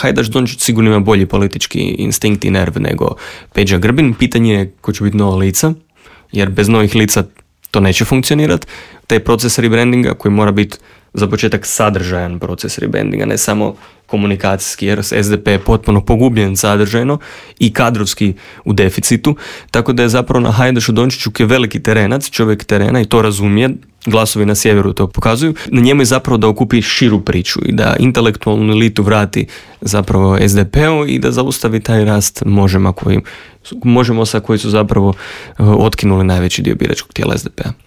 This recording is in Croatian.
Hajdaš Dončić sigurno ima bolji politički instinkt i nerv nego Peđa Grbin. Pitanje je ko će biti nova lica, jer bez novih lica to neće funkcionirati. Taj proces rebrandinga koji mora biti za početak sadržajan proces rebrandinga, ne samo komunikacijski, jer SDP je potpuno pogubljen sadržajno i kadrovski u deficitu, tako da je zapravo na Hajdašu Dončiću, koji je veliki terenac, čovjek terena i to razumije, glasovi na sjeveru to pokazuju, na njemu je zapravo da okupi širu priču i da intelektualnu elitu vrati zapravo SDP-u i da zaustavi taj rast Možemo sa koji su zapravo otkinuli najveći dio biračkog tijela SDP-a.